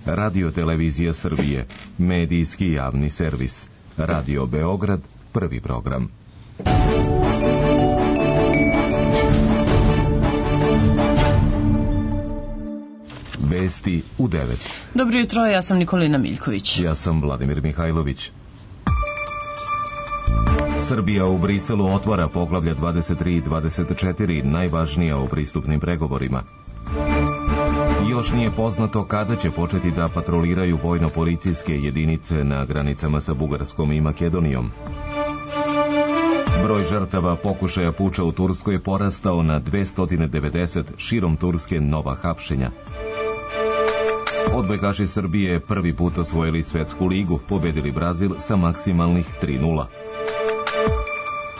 Radio Televizija Srbije, medijski javni servis. Radio Beograd, prvi program. Vesti u 9. Dobro jutro, ja sam Nikolina Miljković. Ja sam Vladimir Mihajlović. Srbija u Briselu otvara poglavlja 23 i 24, najvažnija u pristupnim pregovorima. Još nije poznato kada će početi da patroliraju vojno-policijske jedinice na granicama sa Bugarskom i Makedonijom. Broj žrtava pokušaja puča u Turskoj porastao na 290, širom Turske nova hapšenja. Odbojkaši Srbije prvi put osvojili svetsku ligu, pobedili Brazil sa maksimalnih 3:0.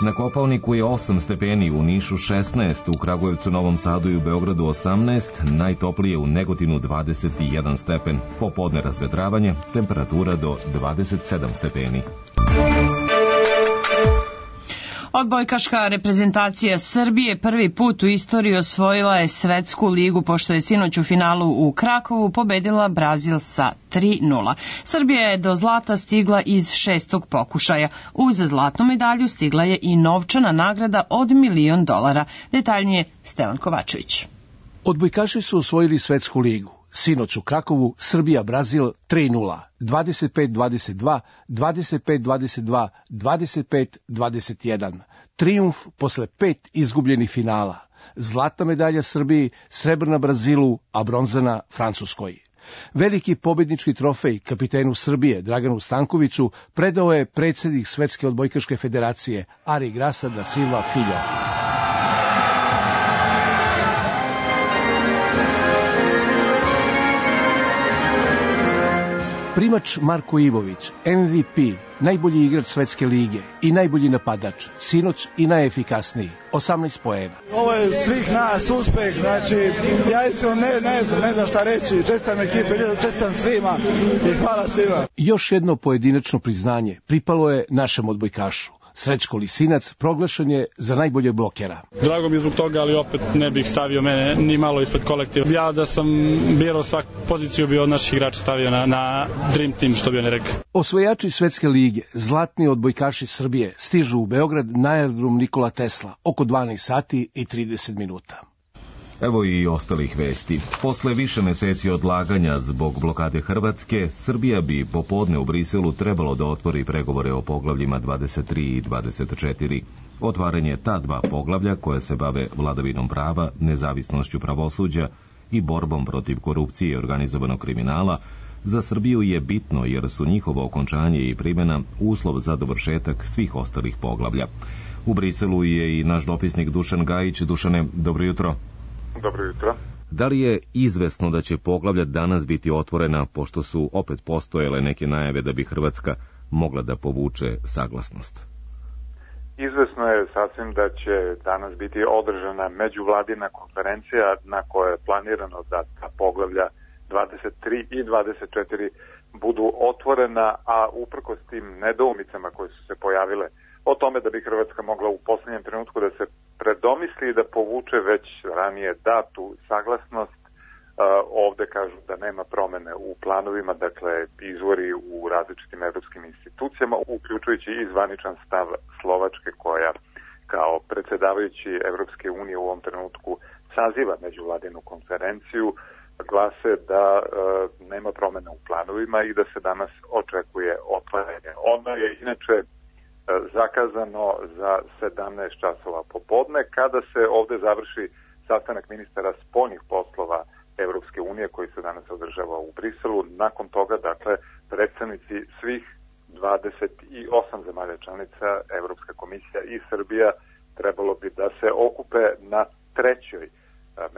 Na Kopaoniku je 8 stepeni, u Nišu 16, u Kragujevcu, Novom Sadu i u Beogradu 18, najtoplije u Negotinu 21 stepen. Popodne razvedravanje, temperatura do 27 stepeni. Odbojkaška reprezentacija Srbije prvi put u istoriji osvojila je svetsku ligu, pošto je sinoć u finalu u Krakovu pobedila Brazil sa 3:0. Srbija je do zlata stigla iz 6. pokušaja. Uz zlatnu medalju stigla je i novčana nagrada od $1.000.000. Detaljnije Stevan Kovačević. Odbojkaši su osvojili svetsku ligu. Sinoć u Krakovu Srbija-Brazil 3:0, 25-22, 25-22, 25-21. Trijumf posle 5 izgubljenih finala. Zlatna medalja Srbiji, srebrna Brazilu, a bronzana Francuskoj. Veliki pobednički trofej kapitenu Srbije Draganu Stankoviću predao je predsjednik Svetske odbojkaške federacije Ari Grasa da Silva Filho. Primač Marko Ivović, MVP, najbolji igrač svetske lige i najbolji napadač, sinoć i najefikasniji, 18 poena. Ovo je svih nas uspeh, znači ja iskreno ne znam šta reći, čestitam ekipe, čestitam svima i hvala svima. Još jedno pojedinačno priznanje pripalo je našem odbojkašu. Srećko Lisinac proglašen je za najboljeg blokera. Drago mi je zbog toga, ali opet ne bih stavio mene ni malo ispred kolektiva. Ja da sam birao svaku poziciju bi od naših igrača stavio na Dream Team, što bi oni rekli. Osvojači svetske lige, zlatni odbojkaši Srbije, stižu u Beograd na aerodrom Nikola Tesla oko 12 sati i 30 minuta. Evo i ostalih vesti. Posle više meseci odlaganja zbog blokade Hrvatske, Srbija bi popodne u Briselu trebalo da otvori pregovore o poglavljima 23 i 24. Otvaranje ta dva poglavlja koje se bave vladavinom prava, nezavisnošću pravosuđa i borbom protiv korupcije i organizovanog kriminala za Srbiju je bitno jer su njihovo okončanje i primjena uslov za dovršetak svih ostalih poglavlja. U Briselu je i naš dopisnik Dušan Gajić. Dušane, dobro jutro. Dobro jutro. Da li je izvesno da će poglavlja danas biti otvorena, pošto su opet postojale neke najave da bi Hrvatska mogla da povuče saglasnost? Izvesno je sasvim da će danas biti održana međuvladina konferencija na kojoj je planirano da ta poglavlja 23 i 24 budu otvorena, a uprkos tim nedoumicama koje su se pojavile o tome da bi Hrvatska mogla u posljednjem trenutku da se predomisli i da povuče već ranije datu saglasnost. Ovde kažu da nema promene u planovima, dakle izvori u različitim evropskim institucijama, uključujući i zvaničan stav Slovačke koja kao predsjedavajući Evropske unije u ovom trenutku saziva međuvladinu konferenciju, glase da nema promene u planovima i da se danas očekuje otvaranje. Ono je inače zakazano za 17 časova popodne, kada se ovde završi sastanak ministara spoljnih poslova Evropske unije koji se danas održava u Briselu. Nakon toga, dakle, predstavnici svih 28 zemalja članica, Evropska komisija i Srbija trebalo bi da se okupe na trećoj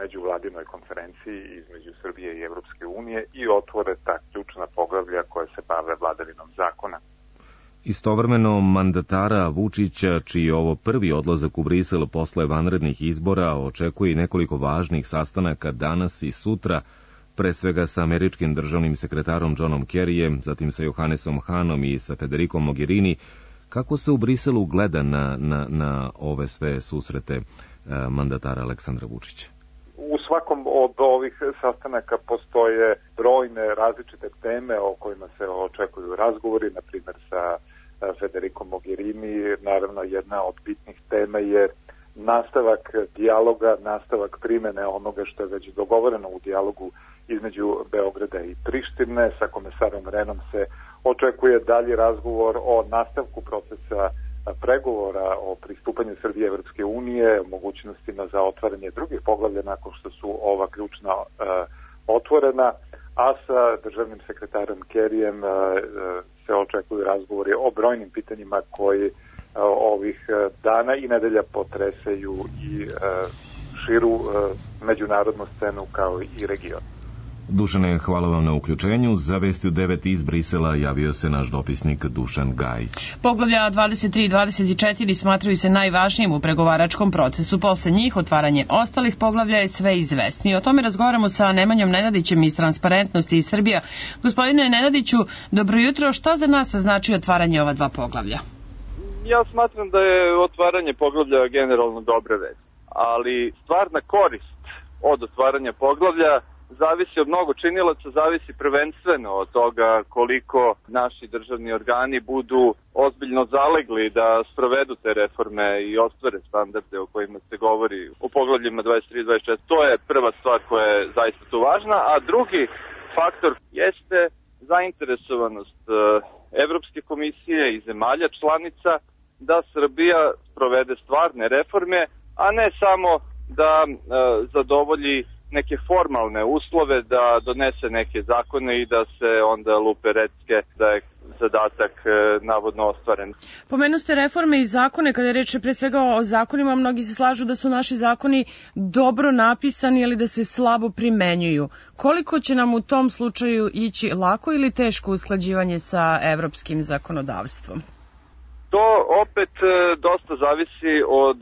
međuvladinoj konferenciji između Srbije i Evropske unije i otvore ta ključna poglavlja koje se bave vladavinom zakona. Istovremeno mandatara Vučića, čiji je ovo prvi odlazak u Brisel posle vanrednih izbora, očekuje i nekoliko važnih sastanaka danas i sutra, pre svega sa američkim državnim sekretarom Johnom Kerryjem, zatim sa Johannesom Hanom i sa Federikom Mogherini. Kako se u Briselu gleda na ove sve susrete mandatara Aleksandra Vučića? U svakom od ovih sastanaka postoje brojne različite teme o kojima se očekuju razgovori, na primjer sa Federico Mogherini. Naravno, jedna od bitnih tema je nastavak dijaloga, nastavak primene onoga što je već dogovoreno u dijalogu između Beograda i Prištine. Sa komesarom Renom se očekuje dalji razgovor o nastavku procesa pregovora o pristupanju Srbije Evropske unije, mogućnostima za otvaranje drugih poglavlja nakon što su ova ključna otvorena, a sa državnim sekretarom Kerryjem se očekuju razgovori o brojnim pitanjima koji ovih dana i nedelja potresaju i širu međunarodnu scenu kao i region. Dušane, hvala vam na uključenju. Za vesti u 9 iz Brisela javio se naš dopisnik Dušan Gajić. Poglavlja 23 i 24 smatraju se najvažnijim u pregovaračkom procesu. Posle njih otvaranje ostalih poglavlja je sve izvesnije. O tome razgovaramo sa Nemanjom Nenadićem iz Transparentnosti iz Srbija. Gospodine Nenadiću, dobro jutro. Šta za nas znači otvaranje ova dva poglavlja? Ja smatram da je otvaranje poglavlja generalno dobra vest, ali stvarna korist od otvaranja poglavlja zavisi od mnogo činilaca, zavisi prvenstveno od toga koliko naši državni organi budu ozbiljno zalegli da sprovedu te reforme i ostvare standarde o kojima se govori u poglavljima 23 i 24. To je prva stvar koja je zaista tu važna, a drugi faktor jeste zainteresovanost Evropske komisije i zemalja članica da Srbija sprovede stvarne reforme, a ne samo da zadovolji neke formalne uslove, da donese neke zakone i da se onda lupe recke da je zadatak navodno ostvaren. Pomenuste reforme i zakone, kada je reč pre svega o zakonima, mnogi se slažu da su naši zakoni dobro napisani ili da se slabo primenjuju. Koliko će nam u tom slučaju ići lako ili teško usklađivanje sa evropskim zakonodavstvom? To opet dosta zavisi od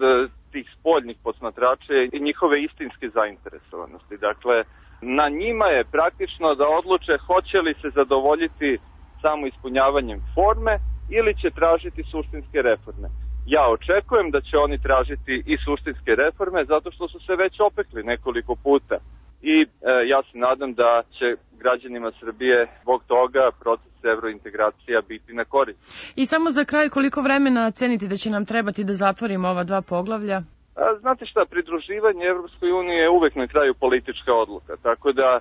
tih spoljnih posmatrača i njihove istinske zainteresovanosti. Dakle, na njima je praktično da odluče hoće li se zadovoljiti samo ispunjavanjem forme ili će tražiti suštinske reforme. Ja očekujem da će oni tražiti i suštinske reforme zato što su se već opekli nekoliko puta. I ja se nadam da će građanima Srbije zbog toga proces evrointegracija biti na korist. I samo za kraj, koliko vremena cenite da će nam trebati da zatvorimo ova dva poglavlja? Znate šta, pridruživanje Evropskoj uniji je uvek na kraju politička odluka, tako da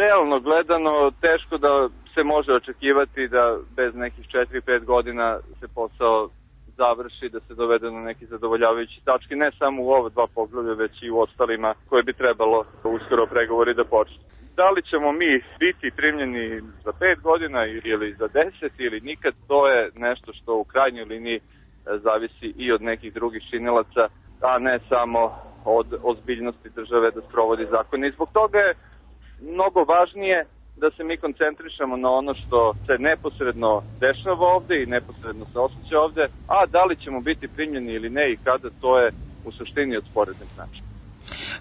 realno gledano teško da se može očekivati da bez nekih 4-5 godina se posao završi, da se dovede na neki zadovoljavajući tački, ne samo u ova dva poglavlja, već i u ostalima koje bi trebalo uskoro pregovori da počne. Da li ćemo mi biti primljeni za 5 godina ili za 10 ili nikad, to je nešto što u krajnjoj liniji zavisi i od nekih drugih činilaca, a ne samo od ozbiljnosti države da sprovodi zakone. I zbog toga je mnogo važnije da se mi koncentrišemo na ono što se neposredno dešava ovde i neposredno se osjeća ovde, a da li ćemo biti primljeni ili ne i kada, to je u suštini od sporednog značaja.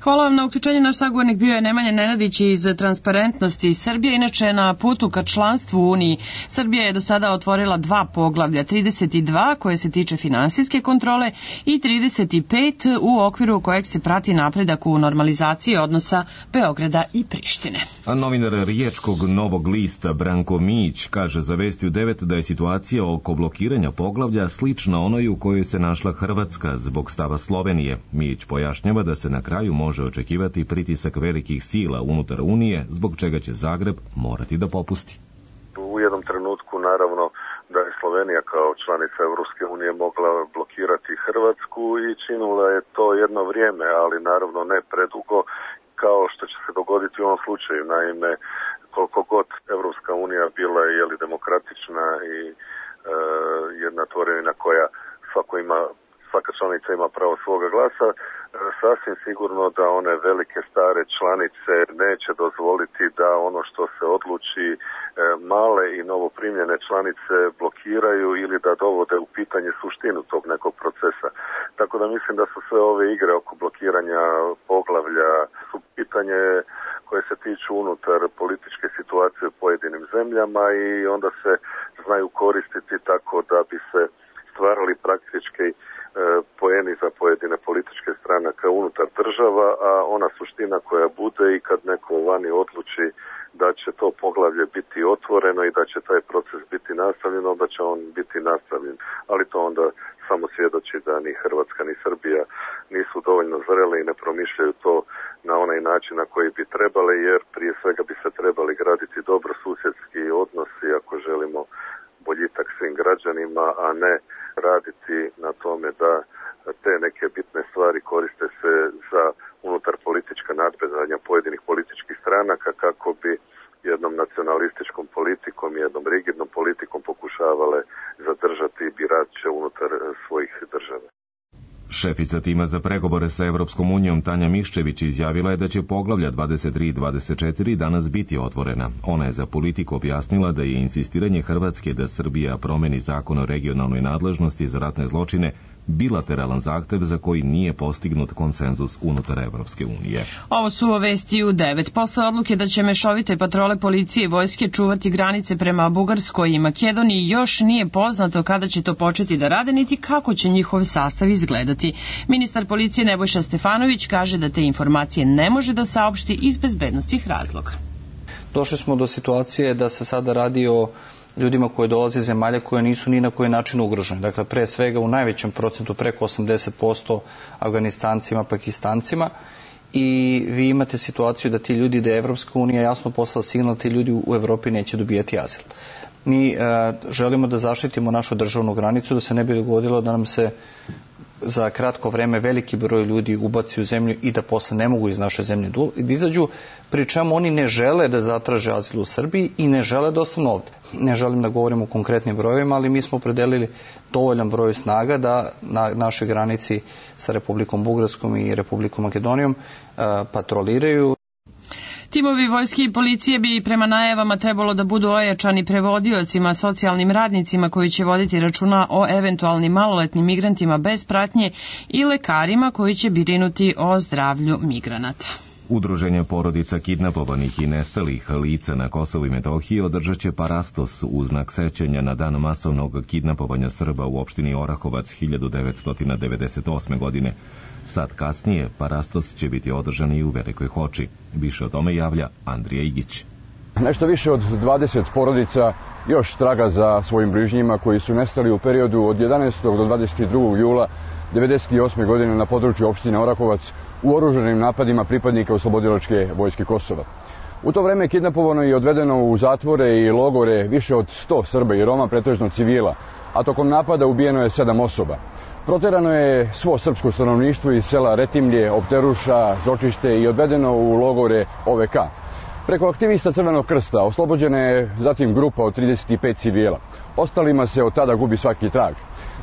Hvala vam na uključenje. Naš sagovornik bio je Nemanja Nenadić iz Transparentnosti iz Srbije. Inače, na putu ka članstvu u Uniji, Srbija je do sada otvorila dva poglavlja, 32 koje se tiče finansijske kontrole i 35 u okviru kojeg se prati napredak u normalizaciji odnosa Beograda i Prištine. A novinar riječkog Novog lista Branko Mijić kaže za vesti u 9 da je situacija oko blokiranja poglavlja slična onoj u kojoj se našla Hrvatska zbog stava Slovenije. Mijić pojašnjava da se na kraju može očekivati pritisak velikih sila unutar Unije, zbog čega će Zagreb morati da popusti. U jednom trenutku, naravno, da je Slovenija kao članica Evropske unije mogla blokirati Hrvatsku i činila je to jedno vrijeme, ali naravno ne predugo, kao što će se dogoditi u ovom slučaju. Naime, koliko god Evropska unija bila je demokratična i jedna tvorevina koja svaka članica ima pravo svoga glasa, sasvim sigurno da one velike stare članice neće dozvoliti da ono što se odluči male i novoprimljene članice blokiraju ili da dovode u pitanje suštinu tog nekog procesa. Tako da mislim da su sve ove igre oko blokiranja poglavlja su pitanje koje se tiču unutar političke situacije u pojedinim zemljama i onda se znaju koristiti tako da bi se stvarali praktički poeni za pojedine političke stranaka unutar država, a ona suština koja bude i kad neko vani odluči da će to poglavlje biti otvoreno i da će taj proces biti nastavljen, onda će on biti nastavljen. Ali to onda samo svjedoči da ni Hrvatska ni Srbija nisu dovoljno zrele i ne promišljaju to na onaj način na koji bi trebali, jer prije svega bi se trebali graditi dobrosusjedski odnosi ako želimo boljitak svim građanima, a ne raditi na tome da te neke bitne stvari koriste se za unutar politička nadmetanja pojedinih političkih stranaka kako bi jednom nacionalističkom politikom, jednom rigidnom politikom pokušavale zadržati birače unutar svojih država. Šefica tima za pregovore sa Evropskom unijom Tanja Miščević izjavila je da će poglavlja 23 i 24 danas biti otvorena. Ona je za Politiku objasnila da je insistiranje Hrvatske da Srbija promeni zakon o regionalnoj nadležnosti za ratne zločine bilateralan zahtev za koji nije postignut konsenzus unutar Evropske unije. Ovo su vesti u 9. Posle odluke da će mešovite patrole policije i vojske čuvati granice prema Bugarskoj i Makedoniji, još nije poznato kada će to početi da rade, niti kako će njihov sastav izgledati. Ministar policije Nebojša Stefanović kaže da te informacije ne može da saopšti iz bezbednostnih razloga. Došli smo do situacije da se sada radi o ljudima koji dolaze iz zemalja koje nisu ni na koji način ugrožene. Dakle, pre svega u najvećem procentu, preko 80% Afganistancima, Pakistancima, i vi imate situaciju da ti ljudi, da je Evropska unija jasno poslala signal, ti ljudi u Evropi neće dobijati azil. Mi želimo da zaštitimo našu državnu granicu, da se ne bi dogodilo da nam se za kratko vreme veliki broj ljudi ubaci u zemlju i da posle ne mogu iz naše zemlje da izađu, pri čemu oni ne žele da zatraže azil u Srbiji i ne žele da ostanu ovde. Ne želim da govorim o konkretnim brojevima, ali mi smo opredelili dovoljan broj snaga da na našoj granici sa Republikom Bugarskom i Republikom Makedonijom patroliraju. Timovi vojske i policije bi prema najavama trebalo da budu ojačani prevodiocima, socijalnim radnicima koji će voditi računa o eventualnim maloletnim migrantima bez pratnje i lekarima koji će brinuti o zdravlju migranata. Udruženje porodica kidnapovanih i nestalih lica na Kosovu i Metohiji održat će parastos u znak sećanja na dan masovnog kidnapovanja Srba u opštini Orahovac 1998. godine. Sad kasnije parastos će biti održan i u Velikoj Hoči. Više o tome javlja Andrija Igić. Nešto više od 20 porodica još traga za svojim bližnjima koji su nestali u periodu od 11. do 22. jula 1998. godine na području opštine Orahovac u oružanim napadima pripadnika Oslobodilačke vojske Kosova. U to vreme je kidnapovano i odvedeno u zatvore i logore više od 100 Srba i Roma, pretežno civila, a tokom napada ubijeno je 7 osoba. Proterano je svo srpsko stanovništvo iz sela Retimlje, Opteruša, Zočište i odvedeno u logore OVK. Preko aktivista Crvenog krsta oslobođena je zatim grupa od 35 civila. Ostalima se od tada gubi svaki trag.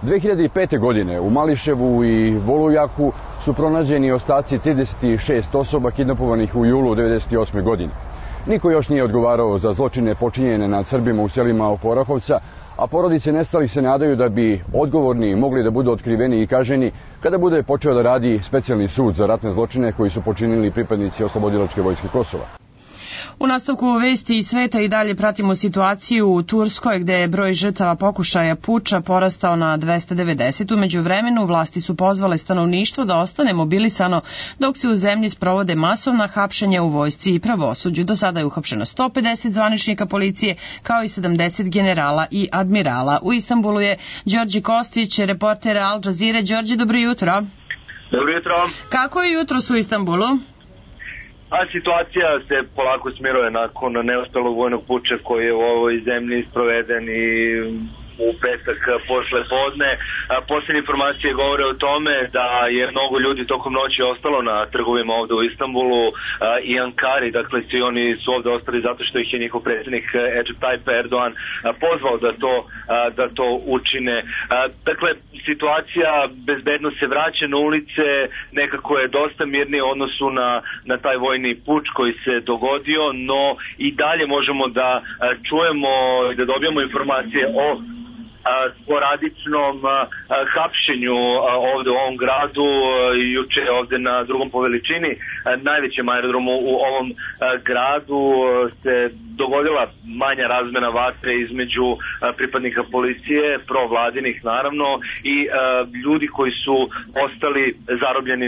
2005. godine u Mališevu i Volujaku su pronađeni ostaci 36 osoba kidnapovanih u julu 1998. godine. Niko još nije odgovarao za zločine počinjene nad Srbima u selima oko Orahovca, a porodice nestalih se nadaju da bi odgovorni mogli da budu otkriveni i kažnjeni kada bude počeo da radi specijalni sud za ratne zločine koji su počinili pripadnici Oslobodilačke vojske Kosova. U nastavku vesti iz sveta i dalje pratimo situaciju u Turskoj gde je broj žrtava pokušaja puča porastao na 290. Umeđu vremenu vlasti su pozvale stanovništvo da ostane mobilisano dok se u zemlji sprovode masovna hapšenja u vojsci i pravosuđu. Do sada je uhapšeno 150 zvaničnika policije kao i 70 generala i admirala. U Istanbulu je Đorđe Kostić, reporter Al Jazeere. Đorđe, dobro jutro. Dobro jutro. Kako je jutros u Istanbulu? A situacija se polako smiruje nakon neuspelog vojnog puča koji je u ovoj zemlji sproveden i u petak posle podne. Posljednje informacije govore o tome da je mnogo ljudi tokom noći ostalo na trgovima ovde u Istanbulu i Ankari, dakle svi oni su ovde ostali zato što ih je njihov predsjednik Recep Tayyip Erdogan pozvao da to učine. Dakle, situacija bezbedno se vraća na ulice, nekako je dosta mirnije u odnosu na taj vojni puč koji se dogodio, no i dalje možemo da čujemo i da dobijemo informacije o sporadičnom hapšenju ovde u ovom gradu. Juče ovde na drugom po veličini najvećem aerodromu u ovom gradu se dogodila manja razmena vatre između pripadnika policije, provladinih naravno, i ljudi koji su ostali zarobljeni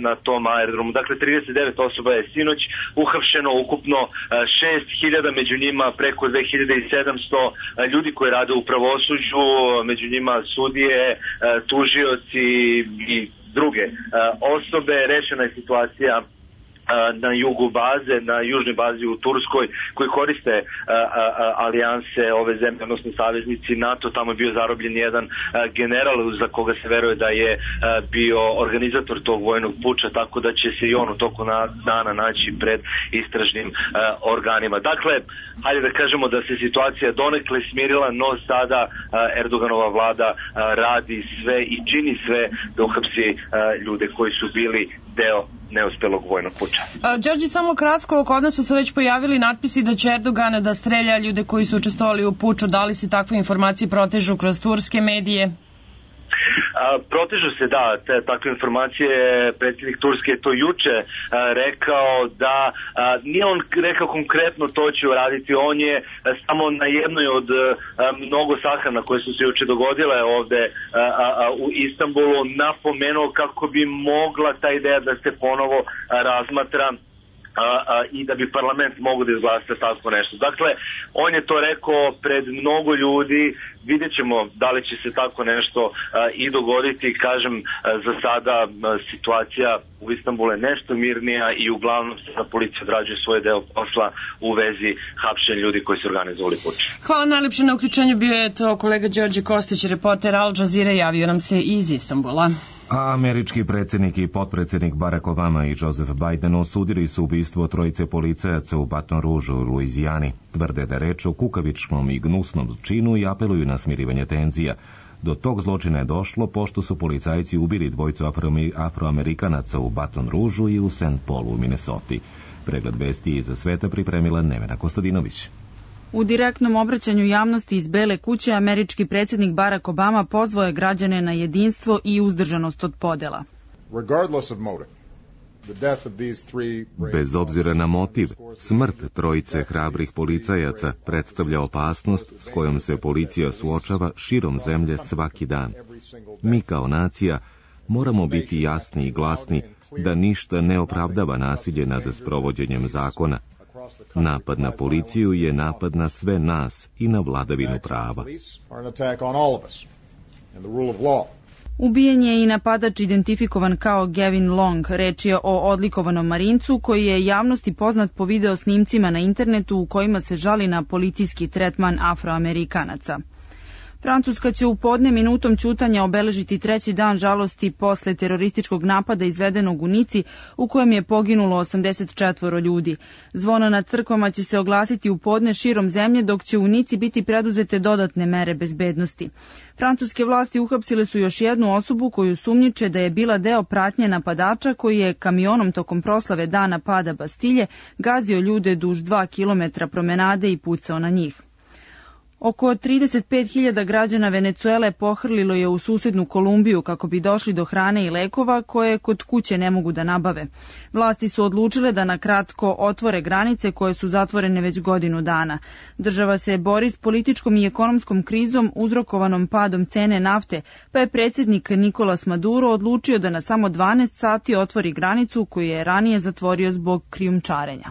na tom aerodromu. Dakle, 39 osoba je sinoć uhapšeno, ukupno 6.000, među njima preko 2.700 ljudi koji rade u pravosuđu, među njima sudije, tužioci i druge osobe. Rešena je situacija na jugu baze, na južnoj bazi u Turskoj, koji koriste alijanse ove zemlje, odnosno saveznici NATO. Tamo je bio zarobljen jedan general za koga se veruje da je bio organizator tog vojnog puča, tako da će se i on u toku dana naći pred istražnim organima. Dakle, hajde da kažemo da se situacija donekle smirila, no sada Erdoganova vlada radi sve i čini sve da uhapsi ljude koji su bili deo neuspelog vojnog puča. Đorđe, samo kratko, kod nas su se već pojavili natpisi da će Erdogan da strelja ljude koji su učestvovali u puču. Da li se takve informacije protežu kroz turske medije? Protežu se, da, takve informacije. Predsjednik Turske je to juče rekao da nije on rekao konkretno to će uraditi, on je samo na jednoj od mnogo sahrana koje su se juče dogodile ovde u Istanbulu napomenuo kako bi mogla ta ideja da se ponovo razmatra i da bi parlament mogo da izglasa tako nešto. Dakle, on je to rekao pred mnogo ljudi, vidjet ćemo da li će se tako nešto i dogoditi. Kažem, za sada situacija u Istanbulu je nešto mirnija i uglavnom se da policija odrađuje svoj deo posla u vezi hapšenja ljudi koji su organizovali puč. Hvala najlepše na uključenju, bio je to kolega Đorđe Kostić, reporter Al Jazeera, javio nam se iz Istanbula. A američki predsjednik i potpredsjednik Barack Obama i Joseph Biden osudili su ubistvo trojice policajaca u Baton Rougeu u Luizijani. Tvrde da reč o kukavičnom i gnusnom činu i apeluju na smirivanje tenzija. Do tog zločina je došlo pošto su policajci ubili dvojicu afroamerikanaca u Baton Rougeu i u St. Paulu u Minnesoti. Pregled vesti iza sveta pripremila Nevena Kostadinović. U direktnom obraćanju javnosti iz Bele kuće američki predsjednik Barack Obama pozvao je građane na jedinstvo i uzdržanost od podela. Bez obzira na motiv, smrt trojice hrabrih policajaca predstavlja opasnost s kojom se policija suočava širom zemlje svaki dan. Mi kao nacija moramo biti jasni i glasni da ništa ne opravdava nasilje nad sprovođenjem zakona. Napad na policiju je napad na sve nas i na vladavinu prava. Ubijen je i napadač identifikovan kao Gavin Long. Reč je o odlikovanom Marincu koji je javnosti poznat po video snimcima na internetu u kojima se žali na policijski tretman Afroamerikanaca. Francuska će u podne minutom ćutanja obeležiti 3. dan žalosti posle terorističkog napada izvedenog u Nici u kojem je poginulo 84 ljudi. Zvona na crkvama će se oglasiti u podne širom zemlje dok će u Nici biti preduzete dodatne mere bezbednosti. Francuske vlasti uhapsile su još jednu osobu koju sumnjiče da je bila deo pratnje napadača koji je kamionom tokom proslave dana pada Bastilje gazio ljude duž 2 kilometra promenade i pucao na njih. Oko 35.000 građana Venecuele pohrlilo je u susednu Kolumbiju kako bi došli do hrane i lekova koje kod kuće ne mogu da nabave. Vlasti su odlučile da na kratko otvore granice koje su zatvorene već godinu dana. Država se bori s političkom i ekonomskom krizom uzrokovanom padom cene nafte, pa je predsjednik Nicolas Maduro odlučio da na samo 12 sati otvori granicu koju je ranije zatvorio zbog krijumčarenja.